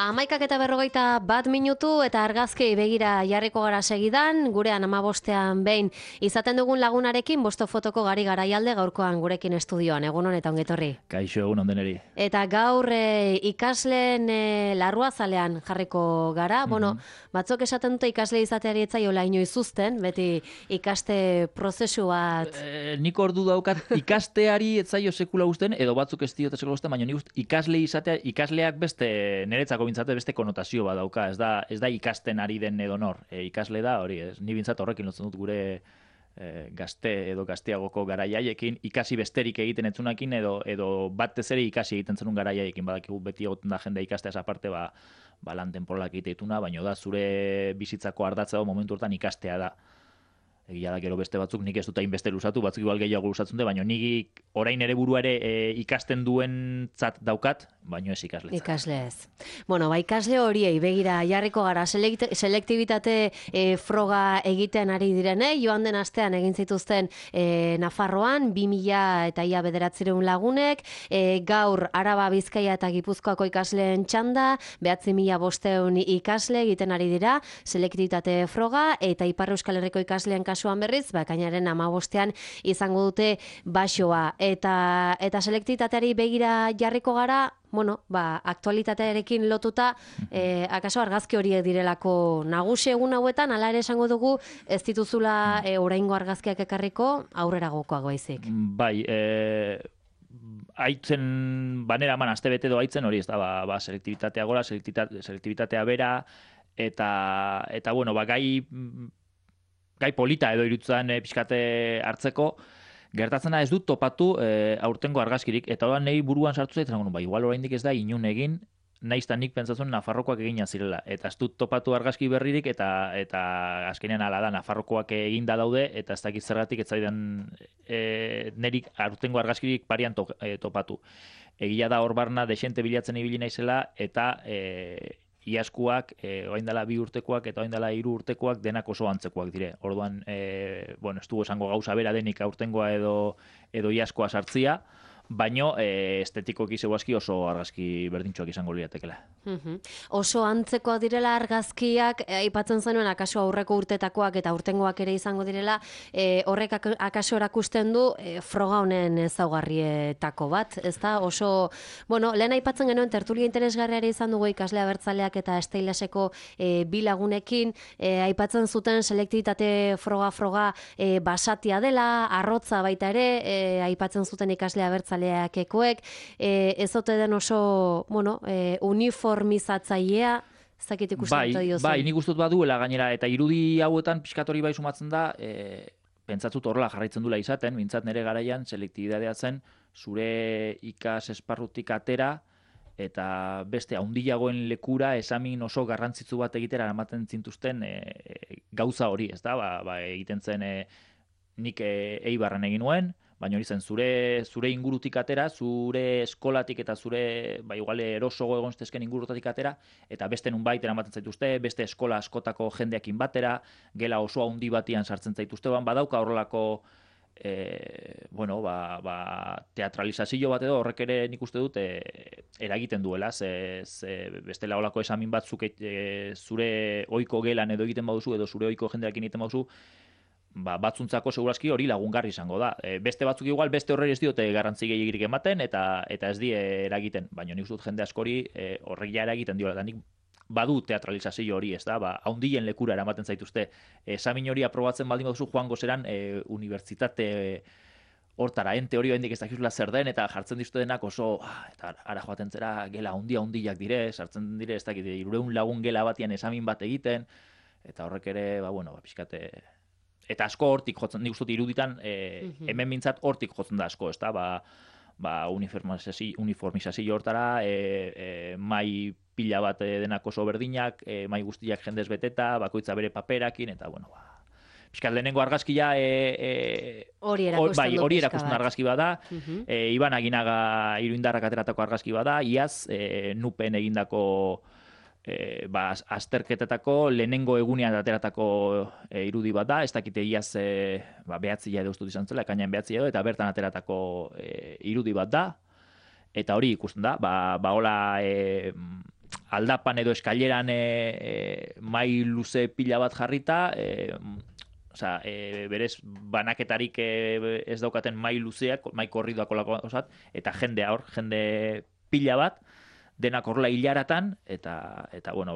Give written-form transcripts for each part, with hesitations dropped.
11:41 eta argazki begira jarriko gara segidan, gurean 15ean behin izaten dugun lagunarekin bosto fotoko Gari Garaialde gaurkoan gurekin estudioan. Egunon eta ongetorri. Kaixo, egunon deneri. Eta gaur ikasleen larruazalean jarriko gara. Bueno, batzuk esaten dute ikasle izateari etzaiola inoiz uzten, beti ikaste prozesu bat. Nik ordu daukat ikasteari etzaio sekula uzten, edo batzuk ez diote sekula uzten, baina nik uste ikasle izatea, ikasleak beste niretzako bintzate beste konotazio bat dauka, ez da ikasten ari den edo nor. Ikasle da hori, ni bintzat horrekin lotzen dut gure gazte edo gazteagoko garaiaiekin, ikasi besterik egiten etzunakin edo batez ere ikasi egiten zenun garaiaiekin, badakigu beti egoten da jendea ikasteaz aparte, lan temporalak egiteituna, baina da zure bizitzako ardatza momentu hortan ikastea da. Egia da, gero beste batzuk nik ez dut hainbeste luzatu, batzuk igual gehiago luzatzen dut, baina nik orain ere burua ere ikasten duentzat daukat, baina ez ikasletzat. Ikasle ez. Bueno, ikasle horiei begira jarriko gara, selektibitate froga egiten ari direnei, joan den astean egin zituzten Nafarroan, 2000 eta ia 900 lagunek, gaur Araba, Bizkaia eta Gipuzkoako ikasleen txanda, 9.500 ikasle egiten ari dira, selektibitate froga, eta Ipar Euskal Herriko ikasleen kasuan berriz, ekainaren 15ean izango dute baxoa. Eta selektitateari begira jarriko gara, bueno, aktualitatearekin lotuta, akaso argazki horiek direlako nagusi egun hauetan, hala ere esango dugu, ez dituzula oraingo argazkiak ekarriko, aurreragokoak baizik. Bai, aitzen banera eman aste bete edo aitzen hori, ez da, selektibitatea gora, selektibitatea bera, eta bueno, gai polita edo irutzen pixkate hartzeko, gertatzena ez dut topatu aurtengo argazkirik, eta hori nahi buruan sartu zait, igual oraindik ez da inun egin, naizta nik pentsatzen Nafarrokoak egina zirela, eta ez dut topatu argazki berririk, eta azkenean ala da, Nafarrokoak eginda daude, eta ez dakit zergatik ez zaidan nerik aurtengo argazkirik parian topatu. Egia da hor barna desente bilatzen ibili naizela, eta iazkoak, orain dela 2 urtekoak eta orain dela 3 urtekoak denak oso antzekoak dire. Orduan, ez dugu esango gauza bera denik aurtengoa edo iazkoa sartzia, baino estetikoki zeuazki oso argazki berdintxoak izango liatekela. Oso antzekoak direla argazkiak, aipatzen zenuen akaso aurreko urtetakoak eta aurtengoak ere izango direla, horrek akaso erakusten du froga honen ezaugarrietako bat, ez da? Oso, bueno, lehen aipatzen genuen tertulia interesgarriare izan dugu ikasle abertzaleak eta esteilaseko bi lagunekin, aipatzen zuten selektibitate froga basatia dela, arrotza baita ere, aipatzen zuten ikasle abertzaleak ekoek, ez ote den oso, uniformizatzailea, ez dakit ikusten dut. Bai, nik ustut baduela gainera, eta irudi hauetan pixkatori bai sumatzen da, pentsatzut horrela jarraitzen dula izaten, mintzat nire garaian, selektibitatea zen, zure ikas esparrutik atera, eta beste haundiagoen lekura esamin oso garrantzitsu bat egitera ematen zintuzten gauza hori, ez da, egiten zen nik Eibarren egin nuen, baina hori zen, zure ingurutik atera, zure eskolatik eta zure, igual erosogo egon zitezken ingurutatik atera, eta beste nunbait eramaten zaituzte, beste eskola askotako jendeakin batera, gela oso handi batian sartzen zaituzte, badauka horrelako, teatralizazio bat edo horrek ere nik uste dut eragiten duela, bestela holako esamin batzuk zure ohiko gelan edo egiten baduzu, edo zure ohiko jendeakin egiten baduzu, batzuntzako segurazki hori lagungarri izango da. Beste batzuk igual, beste horreri ez diote garrantzi gehiagirik ematen, eta ez die eragiten. Baina nik dut jende askori horrek ja eragiten diola. Eta nik badu teatralizazio hori, ez da, haundien lekura eramaten zaituzte. Esamin hori aprobatzen baldin baduzu joango zeran unibertsitate hortara, teoria hendik ez dakizula zer den, eta jartzen dizute denak oso, eta ara joaten zera gela handiak dire, sartzen dire, ez dakit, 300 lagun gela batian esamin bat egiten, eta horrek ere, pixkate... Eta asko hortik jotzen, nik uste iruditan, hemen mintzat hortik jotzen da asko, ez da, uniformizazio hortara, mai pila bat denak oso berdinak, mai guztiak jendez beteta, bakoitza bere paperakin, eta, pixkat lehenengo argazkia hori erakusten argazki bada, Iban Aginaga Iruindarrak ateratako argazki bada, iaz nupen egindako azterketetako lehenengo egunean ateratako irudi bat da, ez dakite iaz 9 edo ustut izan zela, ekainean 9 edo, eta bertan ateratako irudi bat da, eta hori ikusten da, hola aldapan edo eskaileran mai luze pila bat jarrita, osea, berez banaketarik ez daukaten mai luzeak, mai korridoak olako osat, eta jende pila bat, denak horrela hilaratan, eta bueno,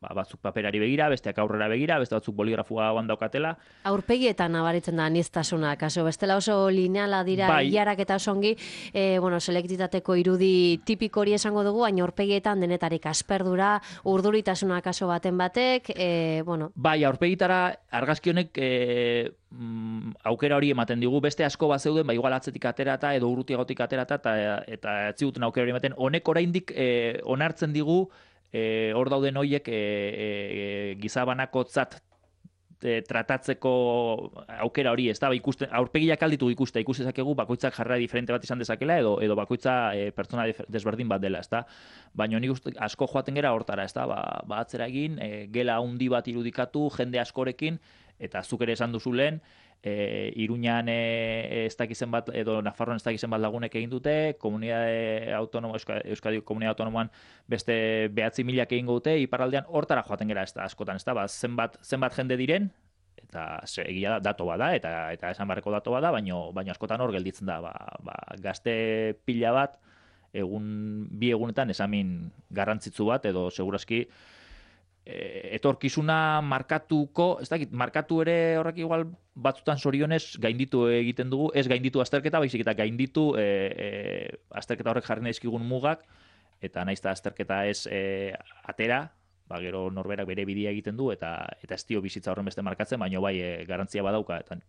batzuk paperari begira, besteak aurrera begira, beste batzuk boligrafoan daukatela. Aurpegietan nabaritzen da aniztasuna, kaso bestela oso lineala dira hilarak eta osongi, selektitateko irudi tipiko hori esango dugu, baina aurpegietan denetarik asperdura, urduritasuna kaso baten batek, bueno. Bai, aurpegitara argazki honek aukera hori ematen digu, beste asko bat zeuden, igual atzetik aterata edo urrutiagotik aterata eta ez ziguten aukera hori ematen. Honek oraindik onartzen digu hor dauden horiek gizabanakotzat tratatzeko aukera hori, ez da, aurpegiak alditu ikuste, ikusi dezakegu bakoitzak jarrera diferente bat izan dezakela edo bakoitza pertsona desberdin bat dela, ez da. Baina nik uste asko joaten gera hortara, ez da, atzera egin, gela handi bat irudikatu, jende askorekin, eta zuk ere esan duzu lehen, Iruñan ez dakizen bat, edo Nafarroan ez dakizen bat lagunek egin dute, Euskadi Komunitate Autonomoan beste 9.000 egin dute, iparraldean hortara joaten gera ez da, askotan, ez da, zenbat jende diren, eta egia da, dato bada, eta esan barreko dato bada, baina askotan hor gelditzen da, gazte pila bat, bi egunetan esamin garrantzitsu bat, edo segurazki, etorkizuna markatuko, ez dakit, markatu ere horrek igual batzutan zorionez gainditu egiten dugu, ez gainditu azterketa, baizik eta gainditu azterketa horrek jarri naizkigun mugak, eta naiz da azterketa ez atera, gero norberak bere bidea egiten du, eta ez dio bizitza horren beste markatzen, baina bai garantzia badauka, eta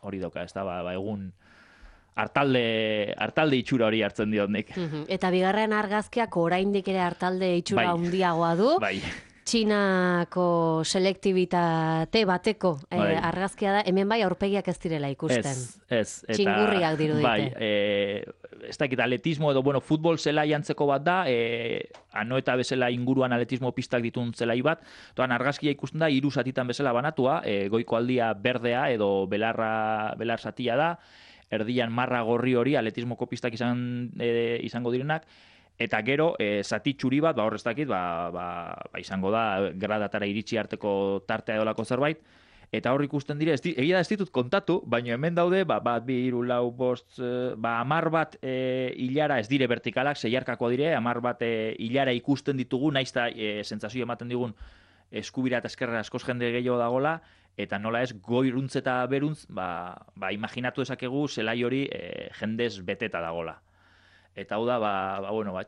hori dauka, ez da, egun hartalde itxura hori hartzen diot nik. Eta bigarren argazkiak oraindik ere hartalde itxura handiagoa du. Bai. Txinako selektibitate bateko argazkia da, hemen bai aurpegiak ez direla ikusten. Ez. Txingurriak dirudite. Bai, ez dakit atletismo edo, futbol zelai antzeko bat da, Anoeta bezala inguruan atletismo pistak ditun zelai bat, toan argazkia ikusten da, 3 zatitan bezala banatua, goiko aldia berdea edo belar zatia da, erdian marra gorri hori atletismoko pistak izango direnak, eta gero, zati txuri bat, hor ez dakit, izango da, gradatara iritsi arteko tartea edolako zerbait, eta hor ikusten dire, egia da ez ditut kontatu, baina hemen daude, 1, 2, 3, 4, 5, 10 bat hilara ez dire vertikalak, seiarkako dire, 10 bat hilara ikusten ditugu, naiz da sentsazio ematen digun eskubira eta eskerra askoz jende gehiago dagola, eta nola ez goiruntz eta beruntz, imaginatu dezakegu zelai hori jendez beteta dagola. Eta hau da,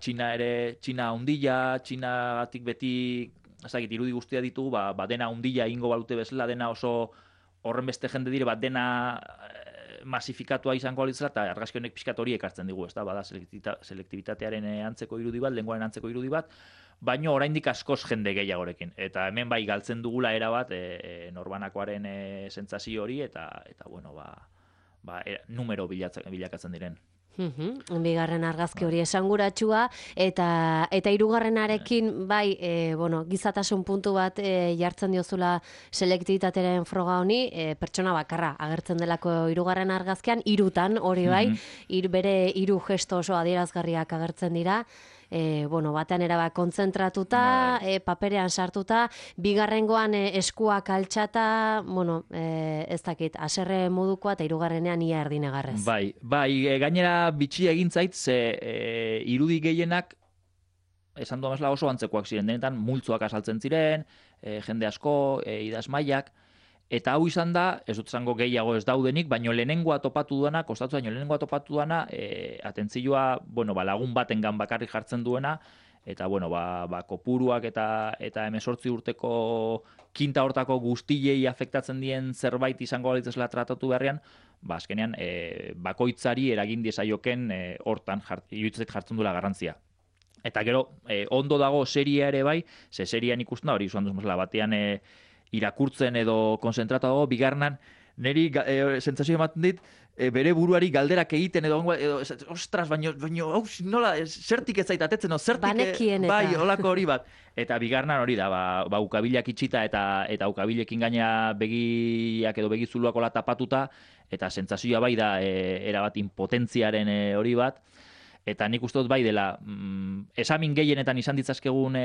Txina hundila, Txinagatik beti, ezagik, irudi guztia ditugu, dena hundila ingo balute bezala, dena oso horren beste jende dire, dena masifikatua izango alitzela, eta argazki honek pixkat hori ekartzen digu, ez da, bada selektibitatearen antzeko irudi bat, lenguaren antzeko irudi bat, baina oraindik askoz jende gehiagorekin. Eta hemen bai galtzen dugula erabat norbanakoaren sentsazio hori, eta numero bilakatzen diren. Bigarren argazki hori esanguratsua eta hirugarrenarekin bai gizatasun puntu bat jartzen diozula selektibitateren froga honi, pertsona bakarra agertzen delako hirugarren argazkian, 3 hori bai, bere 3 gesto oso adierazgarriak agertzen dira. Batean erabat kontzentratuta, paperean sartuta, bigarrengoan eskuak altxata, ez dakit, haserre modukoa eta hirugarrenean ia erdinegarrez. Bai, gainera bitxia egin zait, ze irudi gehienak, esan duan bezala oso antzekoak ziren, denetan multzoak asaltzen ziren, jende asko, idazmaiak, eta hau izan da, ez dut zango gehiago ez daudenik, baino lehenengoa topatu duena, kostatu baino lehenengoa topatu duena, atentzioa, lagun batengan bakarrik jartzen duena, eta, kopuruak eta 18 urteko kinta hortako guztiei afektatzen dien zerbait izango balitzesela tratatu beharrean, azkenean, bakoitzari eragin diezaioken hortan, iruditzait jartzen duela garrantzia. Eta gero, ondo dago seria ere bai, ze serian ikusten da, hori zuan duzmazela, batean irakurtzen edo konzentratu dago, bigarnan, niri sentsazio ematen dit, bere buruari galderak egiten edo ostras, baino, nola, zertik ez zaitatetzen, zertik, banekien eta. Bai, holako hori bat. Eta bigarnan hori da, ukabilak itxita eta ukabilekin gaina begiak edo begizuluak hola tapatuta, eta sentsazioa bai da erabat impotentziaren hori bat. Eta nik uste dut bai dela, esamin gehienetan izan ditzazkegun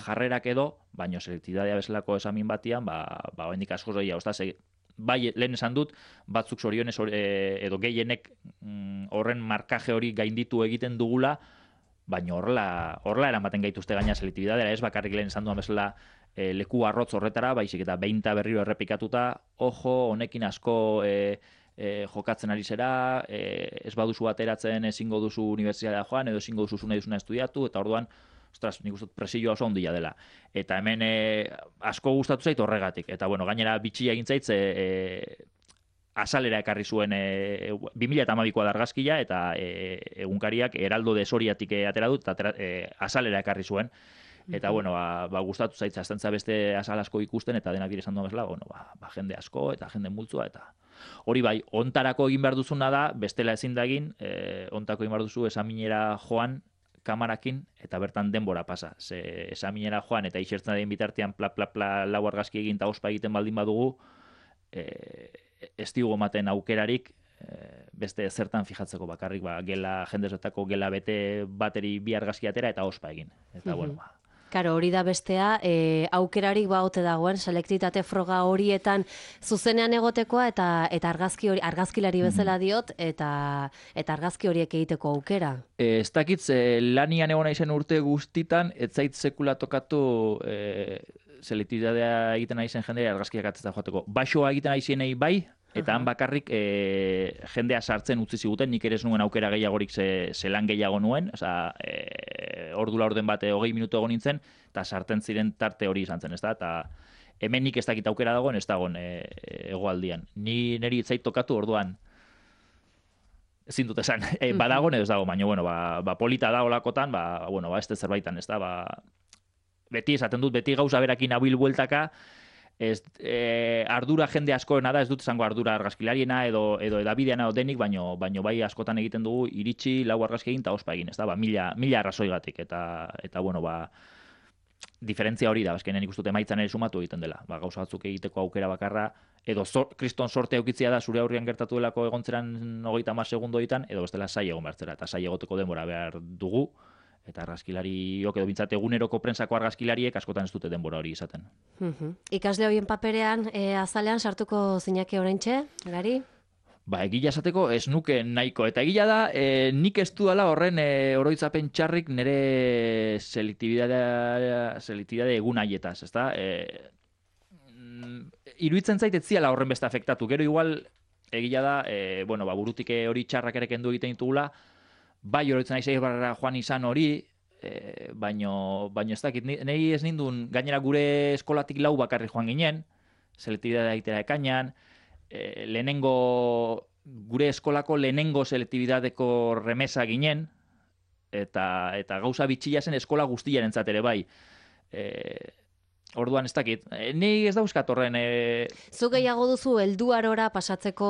jarrerak edo, baino selektibitatea bezalako esamin batian, oraindik askoz gehiago, bai, lehen esan dut, batzuk zorionez edo gehienek horren markaje hori gainditu egiten dugula, baina horrela eramaten gaituzte gaina selektibitatea, ez bakarrik lehen esan duan bezala leku arrotz horretara, baizik eta behin eta berriro errepikatuta, ojo, honekin asko jokatzen ari zera, ez baduzu ateratzen ezingo duzu unibertsitatea joan, edo ezingo duzu nahi duzuna estudiatu, eta orduan, ostras, nik uste presioa oso handia dela. Eta hemen asko gustatu zait horregatik. Eta bueno, gainera bitxia egin zait, azalera ekarri zuen 2012koa da argazkia, eta egunkariak Heraldo de Soriatik atera dut, eta azalera ekarri zuen. Eta bueno, gustatu zait, aztentza beste azal asko ikusten, eta denak dire esan duen bezala, bueno, jende asko, eta jende multzua, eta hori bai, ontarako egin behar duzuna da, bestela ezin da egin, ontako egin behar duzu esaminera joan, kamarakin, eta bertan denbora pasa. Ze esaminera joan, eta isertzen den bitartean pla, lau argazki egin, eta ospa egiten baldin badugu, ez digu ematen aukerarik, beste zertan fijatzeko bakarrik, gela, jendezetako gela bete bateri bi argazki atera, eta ospa egin. Eta bueno, Karo, hori da bestea, aukerarik baote dagoen, selektitate froga horietan zuzenean egotekoa eta argazkilari bezala diot, eta argazki horiek egiteko aukera. Ez dakit, lanian egon naizen urte guztitan, ez zait sekula tokatu selektibitatea egiten naizen jendea argazkiak atzeta joateko. Baixoa egiten naizenei bai, eta han bakarrik jendea sartzen utzi ziguten, nik ere ez nuen aukera gehiagorik zelan gehiago nuen, ordu laurden bat 20 minutu egon nintzen, eta sartzen ziren tarte hori izan zen, eta hemen nik ez dakit aukera dagoen, ez dagoen hegoaldian. Niri zait tokatu orduan, ezin dut esan, badagoen edo ez dago, baina, bueno, polita da olakotan, ez zerbaitan, ez da, beti esaten dut, beti gauza berakin abil bueltaka, ardura jende askoena da, ez dut esango ardura argazkilariena edo edabideana edo denik, baino bai askotan egiten dugu iritsi lau argazki egin eta ospa egin, ez da, mila arrazoigatik, eta bueno, diferentzia hori da, azkenean ikusten dut emaitzan ere sumatu egiten dela, gauza batzuk egiteko aukera bakarra, edo kriston sorte aukitzia da zure aurrian gertatu delako egontzeran 30 segundo ditan, edo bestela sai egon bertzera, eta sai egoteko denbora behar dugu, eta argazkilariok edo bintzat eguneroko prentsako argazkilariek askotan ez dute denbora hori izaten. Ikasle horien paperean azalean sartuko zinake oraintxe, Gari? Egia esateko ez nuke nahiko. Eta egia da, nik ez dudala horren oroitzapen txarrik nire selektibitate egun haietaz, ezta? Iruditzen zait ez ziala horren beste afektatu. Gero igual, egia da, burutik hori txarrak ere kendu egiten ditugula, bai oroitzen nahi barra joan izan hori, baino ez dakit, nahi ez nindun, gainera gure eskolatik lau bakarri joan ginen, selektibitatea egitera ekainan, gure eskolako lehenengo selektibitateko remesa ginen, eta gauza bitxia zen eskola guztiarentzat ere bai. Orduan ez dakit, ni ez dauzkat horren... Zu gehiago duzu helduarora pasatzeko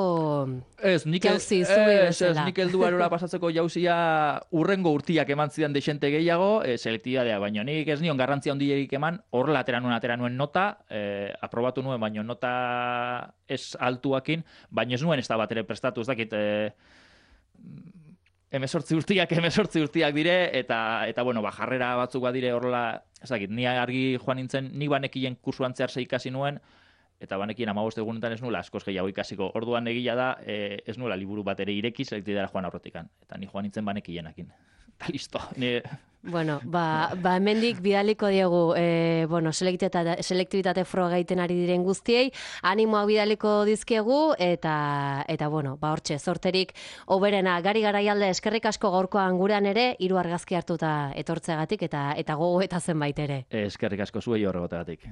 jauzi, zubi bezala. Nik helduarora pasatzeko jauzia urrengo urtiak eman zidan deixente gehiago, selektibitatea, baina nik ez nion garrantzia handierik eman, horrela atera nuen nota, aprobatu nuen, baina nota ez altuakin, baina ez nuen ez da bat ere prestatu, ez dakit... 18 urtiak dire, eta jarrera batzuk badire horrela, ez dakit, ni argi joan nintzen, ni banekien kursuan zehar ikasi nuen, eta banekien 15 egunetan ez nuela askoz gehiago ikasiko. Orduan egia da, ez nuela liburu bat ere ireki selektibitatea joan aurretikan. Eta ni joan nintzen banekienekin. Eta listo. Bueno, hemendik bidaliko diegu, selektibitate froga egiten ari diren guztiei, animoak bidaliko dizkiegu, eta hortxe, zorterik oberena, Gari Garaialde, eskerrik asko gaurkoan gurean ere, 3 argazki hartuta etortzeagatik, eta gogo eta zenbait ere. Eskerrik asko zuei horregotegatik.